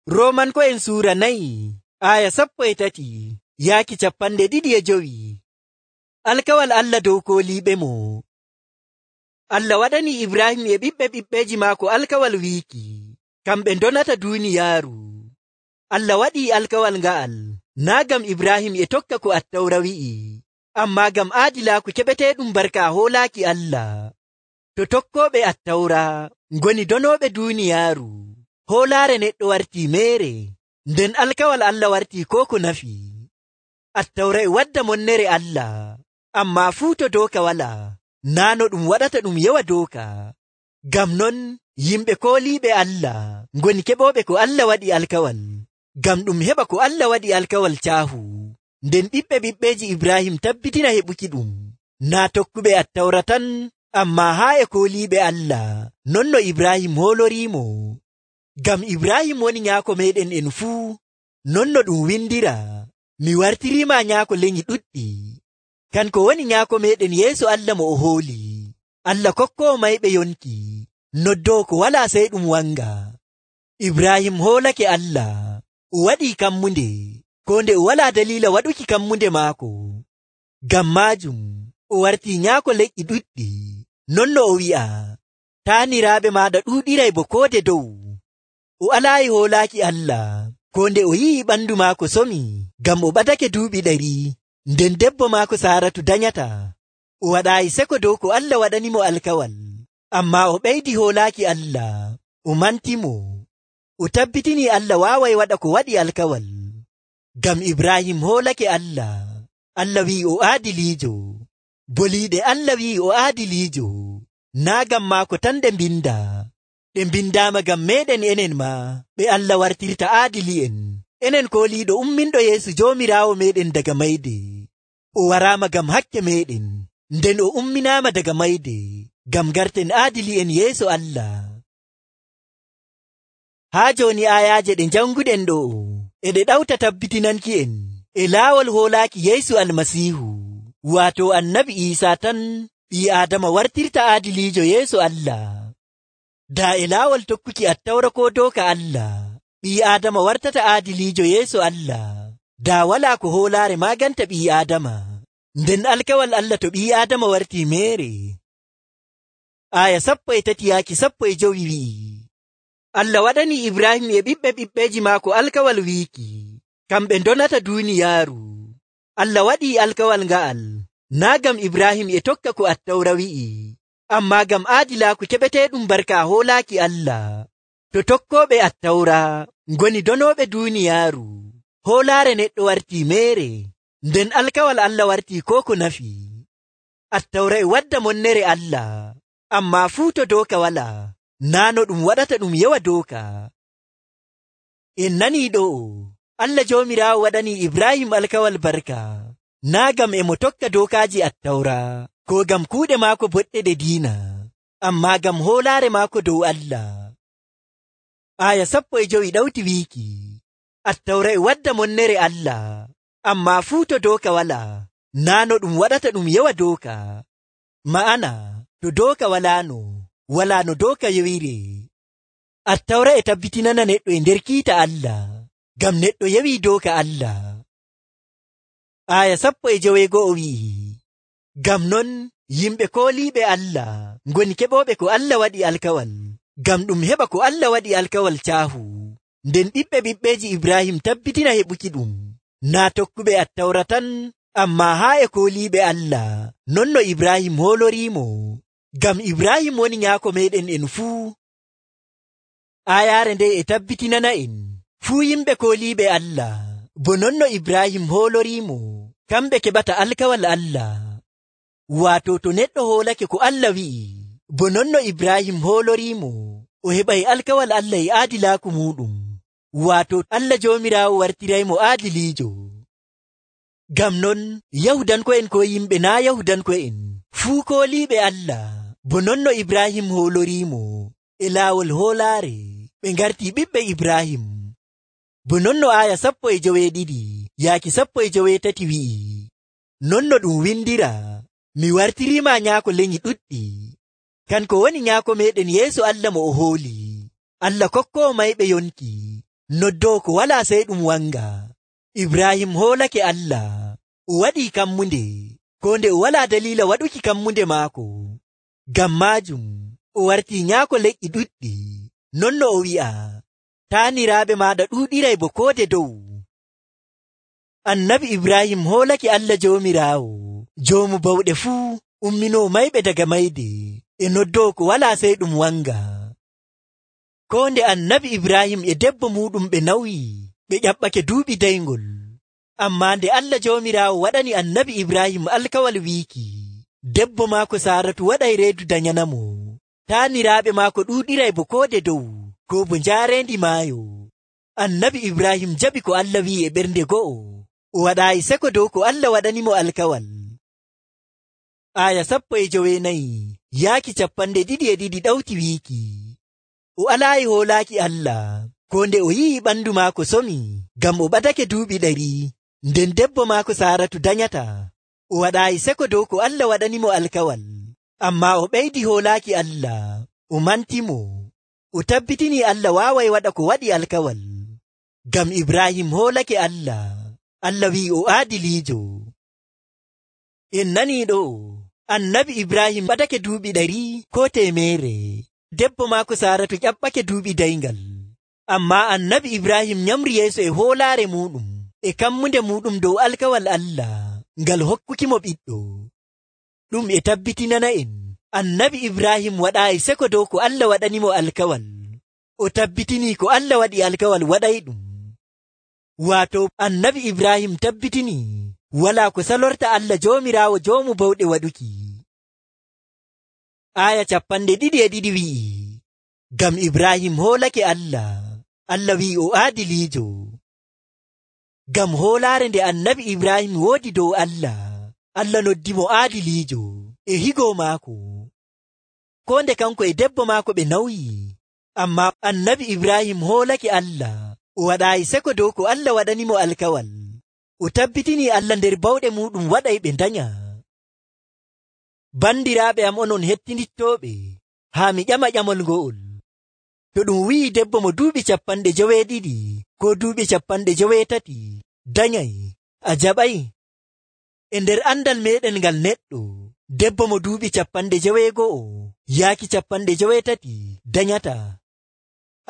Roomanko'en suura 4 aya 13 yaaki 25. Alkawal Allah dow kooliiɓe mo. Allah waɗani Ibrahim e ɓiɓɓeji maako alkawal wiiki kamɓe ndonata duuniyaaru. Allah waɗii alkawal nga'al naa ngam Ibrahim e tokka ko Attawra wi'i, ammaa ngam aadilaaku keɓeteeɗum barka hoolaaki Allah. To tokkooɓe Attawra ngoni donooɓe duuniyaaru, hoolaare neɗɗo wartii meere, nden alkawal Allah wartii koo ko nafi. Attawra e wadda monnere Allah, ammaa fuu to dooka walaa, naa no ɗum waɗata ɗum yewa dooka. Ngam non yimɓe kooliiɓe Allah ngoni keɓooɓe ko Allah waɗi alkawal, ngam ɗum heɓa ko Allah waɗi alkawal caahu. Nden ɓiɓɓeji Ibrahim tabbitina heɓuki ɗum, naa tokkuɓe Attawra tan, ammaa haa e kooliiɓe Allah, non no Ibrahim hooloriimo. Ngam Ibrahim woni nyaako meeɗen en fuu, non no ɗum windira, mi wartiriima nyaako lenyi ɗuɗɗi. Kanko woni nyaako meeɗen yeeso Allah mo o hooli, Allah kokkoowo mayɓe yonki, noddoo ko walaa sey ɗum wanga. Ibrahim hoolake Allah, o waɗii kammunde, koo nde o walaa daliila waɗuki kammunde maako. Ngam maajum o wartii nyaako leƴƴi ɗuɗɗi, non no o wi'a, taaniraaɓe maaɗa ɗuuɗiray bo koode dow. O alaayi hoolaaki Allah, koo nde o yi'i ɓandu maako somi, ngam o ɓadake duuɓi 100, nden debbo maako Saaratu danyata. O waɗaayi seko dow ko Allah waɗanimo alkawal, ammaa o ɓeydi hoolaaki Allah, o mantimo. O tabbitini Allah waaway waɗa ko waɗi alkawal. Ngam Ibrahim hoolake Allah, Allah wi'i o aadiliijo. Boliiɗe Allah wi'i o aadiliijo, naa ngam maako tan ɗe mbinda, ɗe mbindaama ngam meeɗen enen ma, ɓe Allah wartirta aadili'en. Enen kooliiɗo umminɗo Yeesu Joomiraawo meeɗen daga mayde. O waraama ngam hakke meeɗen, nden o umminaama daga mayde, ngam garten aadili'en yeeso Allah. Haa jooni aayaaje ɗe janguɗen ɗo e ɗe ɗawta tabbitinanki'en e laawol hoolaaki Yeesu Almasiihu, waato Annabi Iisaa tan ɓii Aadama wartirta aadiliijo yeeso Allah. Daa e laawol tokkuki Attawra koo dooka Allah, ɓii Aadama wartata aadiliijo yeeso Allah, daa walaa ko hoolaare maaganta ɓii Aadama, nden alkawal Allah to ɓii Aadama wartii meere. Aya 13 yaaki 15 wi'i, Allah waɗani Ibrahim e ɓiɓɓeji maako alkawal wiiki kamɓe ndonata duuniyaaru. Allah waɗii alkawal nga'al naa ngam Ibrahim e tokka ko Attawra wi'i, ammaa ngam aadilaaku keɓeteeɗum barka hoolaaki Allah. To tokkooɓe Attawra ngoni donooɓe duuniyaaru, hoolaare neɗɗo wartii meere, nden alkawal Allah wartii koo ko nafi. Attawra e wadda monnere Allah, ammaa fuu to dooka walaa, naa no ɗum waɗata ɗum yewa dooka. En nanii ɗo, Allah Joomiraawo waɗanii Ibrahim alkawal barka, naa ngam e mo tokka dookaaji Attawra, koo ngam kuuɗe maako boɗɗe ɗe diina, ammaa ngam hoolaare maako dow Allah. Aya 15 ɗawti wiiki, Attawra e wadda monnere Allah, ammaa fuu to dooka walaa, naa no ɗum waɗata ɗum yewa dooka. Ma'ana, to dooka walaano, walaa no dooka yewire. Attawra e tabbitinana neɗɗo e nder kiita Allah, ngam neɗɗo yewii dooka Allah. Aya 15 wi'i, ngam non yimɓe kooliiɓe Allah ngoni keɓooɓe ko Allah waɗi alkawal, ngam ɗum heɓa ko Allah waɗi alkawal caahu. Nden ɓiɓɓeji Ibrahim tabbitina heɓuki ɗum, naa tokkuɓe Attawra tan, ammaa haa e kooliiɓe Allah, non no Ibrahim hooloriimo. Ngam Ibrahim woni nyaako meeɗen en fuu. Aayaare nde e tabbitinana en fuu yimɓe kooliiɓe Allah, bo non no Ibrahim hooloriimo, kamɓe keɓata alkawal Allah. Waato to neɗɗo hoolake ko Allah wi'i, bo non no Ibrahim hooloriimo, o heɓay alkawal Allah e aadilaaku muuɗum, waato Allah Joomiraawo wartiraymo aadiliijo. Ngam non Yahudanko'en ko yimɓe naa Yahudanko'en fuu kooliiɓe Allah, bo non no Ibrahim hooloriimo e laawol hoolaare, ɓe ngartii ɓiɓɓe Ibrahim. Bo non no aya 12 yaaki 13 wi'i, non no ɗum windira, mi wartiriima nyaako lenyi ɗuɗɗi. Kanko woni nyaako meeɗen yeeso Allah mo o hooli, Allah kokkoowo mayɓe yonki, noddoo ko walaa sey ɗum wanga. Ibrahim hoolake Allah, o waɗii kammunde, ko nde o walaa daliila waɗuki kammunde maako. Ngam maajum o wartii nyaako leƴƴi ɗuɗɗi, non no o wi'a, taaniraaɓe maaɗa ɗuuɗiray bo koode dow. Annabi Ibrahim hoolake Allah Joomiraawo, joomu bawɗe fuu, umminoo mayɓe daga mayde, e noddoo ko walaa sey ɗum wanga. Ko nde annabi Ibrahim e debbo muuɗum ɓe nawyi, ɓe ƴaɓɓake duuɓi dayngol. Ammaa nde Allah Joomiraawo waɗani annabi Ibrahim alkawal wiiki, debbo maako Saaratu waɗay reedu danyanamo, taaniraaɓe maako ɗuuɗiray bo koode dow, ko bo njaareendi maayo. Annabi Ibrahim jaɓi ko Allah wi'i e ɓernde go'o, o waɗaayi seko dow ko Allah waɗanimo alkawal. Aya 14 yaaki 202 ɗawti wiiki, o alaayi hoolaaki Allah, ko nde o yi'i ɓandu maako somi, ngam o ɓadake duuɓi 100, nden debbo maako Saaratu danyata. O waɗaayi seko dow ko Allah waɗanimo alkawal, ammaa o ɓeydi hoolaaki Allah, o mantimo, o tabbitini Allah waaway waɗa ko waɗi alkawal. Ngam Ibrahim hoolake Allah, Allah wi'i o aadiliijo. En nanii ɗo, annabi Ibrahim ɓadake duuɓi 100 ko 100, debbo maako Saaratu ƴaɓɓake duuɓi dayngal. Ammaa annabi Ibrahim nyamri yeeso e hoolaare muuɗum, e kammunde muuɗum dow alkawal Allah, ngal hokkukimo ɓiɗɗo. Ɗum e tabbitinana en, annabi Ibrahim waɗaayi seko dow ko Allah waɗanimo alkawal, o tabbitini ko Allah waɗi alkawal waɗayɗum. Waato annabi Ibrahim tabbitini walaa ko salorta Allah Joomiraawo joomu bawɗe waɗuki. Aya 22 wi'i, ngam Ibrahim hoolake Allah, Allah wi'i o aadiliijo. Ngam hoolaare nde annabi Ibrahim woodi dow Allah, Allah noddimo aadiliijo e higo maako. Ko nde kanko e debbo maako ɓe nawyi, ammaa annabi Ibrahim hoolake Allah, o waɗaayi seko dow ko Allah waɗanimo alkawal, o tabbitini Allah nder bawɗe muuɗum waɗay ɓe danya. Bandiraaɓe am onon hettinittooɓe, haa mi ƴama ƴamol ngo'ol. To ɗum wi'i debbo mo duuɓi 70 ko duuɓi 80 danyay, a jaɓay? E nder andal meɗen ngal neɗɗo, debbo mo duuɓi 90 yaaki 80 danyata.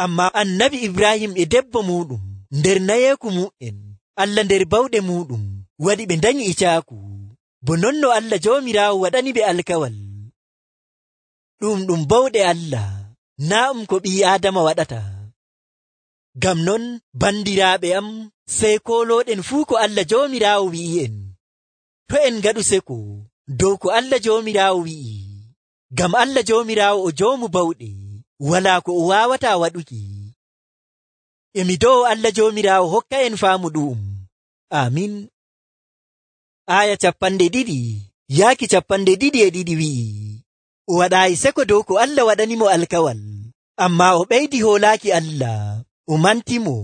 Ammaa annabi Ibrahim e debbo muuɗum nder nayeeku mu'en, Allah nder bawɗe muuɗum waɗi ɓe danyi e caaku, bo non no Allah Joomiraawo waɗani ɓe alkawal. Ɗum bawɗe Allah, naa ko ɓii Aadama waɗata. Ngam non bandiraaɓe am, sey koolooɗen fuu ko Allah Joomiraawo wi'i'en. To en ngaɗu seko dow ko Allah Joomiraawo wi'i, ngam Allah Joomiraawo o joomu bawɗe, walaa ko o waawataa waɗuki. Emi dow Allah Joomiraawo hokka en faamu ɗum. Amin. Aya 22 yaaki 22 wi'i, o waɗaayi seko dow ko Allah waɗanimo alkawal, ammaa o ɓeydi hoolaaki Allah, o mantimo,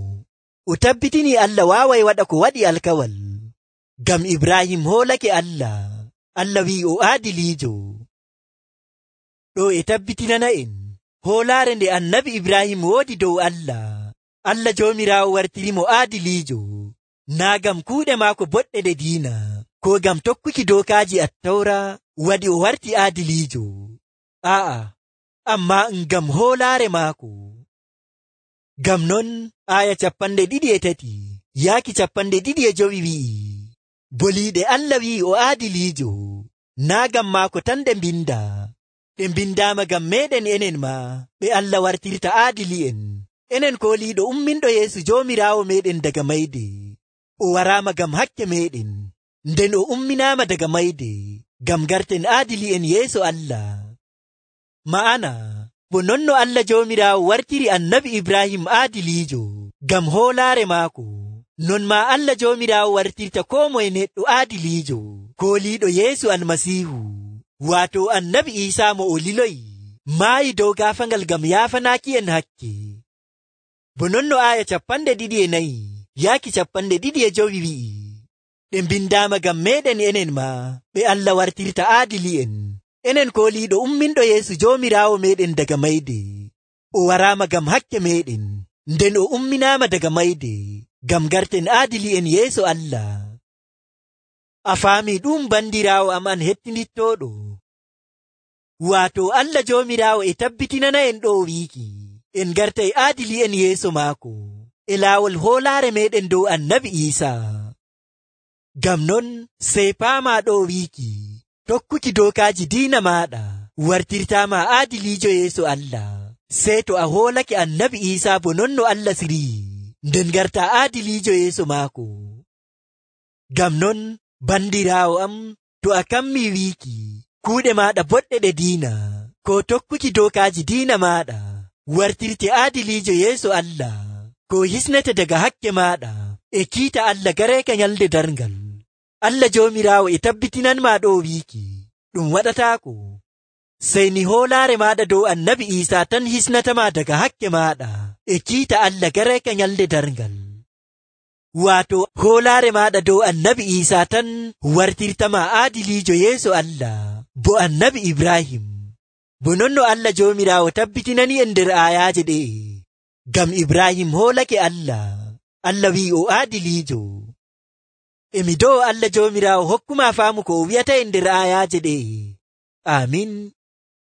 o tabbitini Allah waaway waɗa ko waɗi alkawal. Ngam Ibrahim hoolake Allah, Allah wi'i o aadiliijo. Ɗo e tabbitinana en hoolaare nde annabi Ibrahim woodi dow Allah, Allah Joomiraawo wartirimo aadiliijo, naa ngam kuuɗe maako boɗɗe ɗe diina, ko ngam tokkuki dookaaji Attawra waɗi o warti aadiliijo. Aa'a, ammaa ngam hoolaare maako. Ngam non aya 23 yaaki 25 wi'i, boliiɗe Allah wi'i o aadiliijo, naa ngam maako tan ɗe mbinda, ɗe mbindaama ngam meɗen enen ma, ɓe Allah wartirta aadili'en. Enen kooliiɗo umminɗo Yeesu Joomiraawo meɗen daga mayde, o waraama ngam hakke meɗen, nden o umminaama daga mayde ngam garten aadili'en yeeso Allah. Ma'ana, bo non no Allah Joomiraawo wartiri annabi Ibrahim aadiliijo ngam hoolaare maako, non maa Allah Joomiraawo wartirta koo moye neɗɗo aadiliijo, kooliiɗo Yeesu Almasiihu, waato annabi Iisaa mo o liloyi, maayi dow gaafangal ngam yaafanaaki en hakke. Bo non no aya 24 yaaki 25 wi'i, ɗe mbindaama ngam meɗen enen ma, ɓe Allah wartirta aadili'en. Enen kooliiɗo umminɗo Yeesu Joomiraawo meɗen daga mayde, o waraama ngam hakke meɗen, nden o umminaama daga mayde ngam garten aadili'en yeeso Allah. A faami ɗum bandiraawo am an hettinittooɗo? Waato Allah Joomiraawo e tabbitinana'en ɗo wiiki en gartay aadili'en yeeso maako e laawol hoolaare meɗen dow Annabi Iisaa. Ngam non sey paamaa ɗo wiiki tokkuki dookaaji diina maaɗa wartirtaama aadiliijo yeeso Allah, sey to a hoolake Annabi Iisaa bo non no Allah sirii, nden garta aadiliijo yeeso maako. Ngam non bandiraawo am, to a kammii wiiki kuuɗe maaɗa boɗɗe ɗe diina ko tokkuki dookaaji diina maaɗa wartirte aadiliijo yeeso Allah, ko hisnete daga hakke maaɗa e kiita Allah gareeka nyalde darngal, Allah Joomiraawo e tabbitinanmaa ɗo wiiki ɗum waɗataako. Sey ni hoolaare maaɗa dow Annabi Iisaa tan hisnatamaa daga hakke maaɗa e kiita Allah gareeka nyalde darngal. Waato hoolaare maaɗa dow Annabi Iisaa tan wartirtamaa aadiliijo yeeso Allah bo Annabi Ibrahim. Bo non no Allah Joomiraawo tabbitinani en nder aayaaje ɗe, ngam Ibrahim hoolake Allah, Allah wi'i o aadiliijo. Emi dow Allah Joomiraawo hokkumaa faamu ko o wi'ata en nder aayaaje ɗe. Aamin.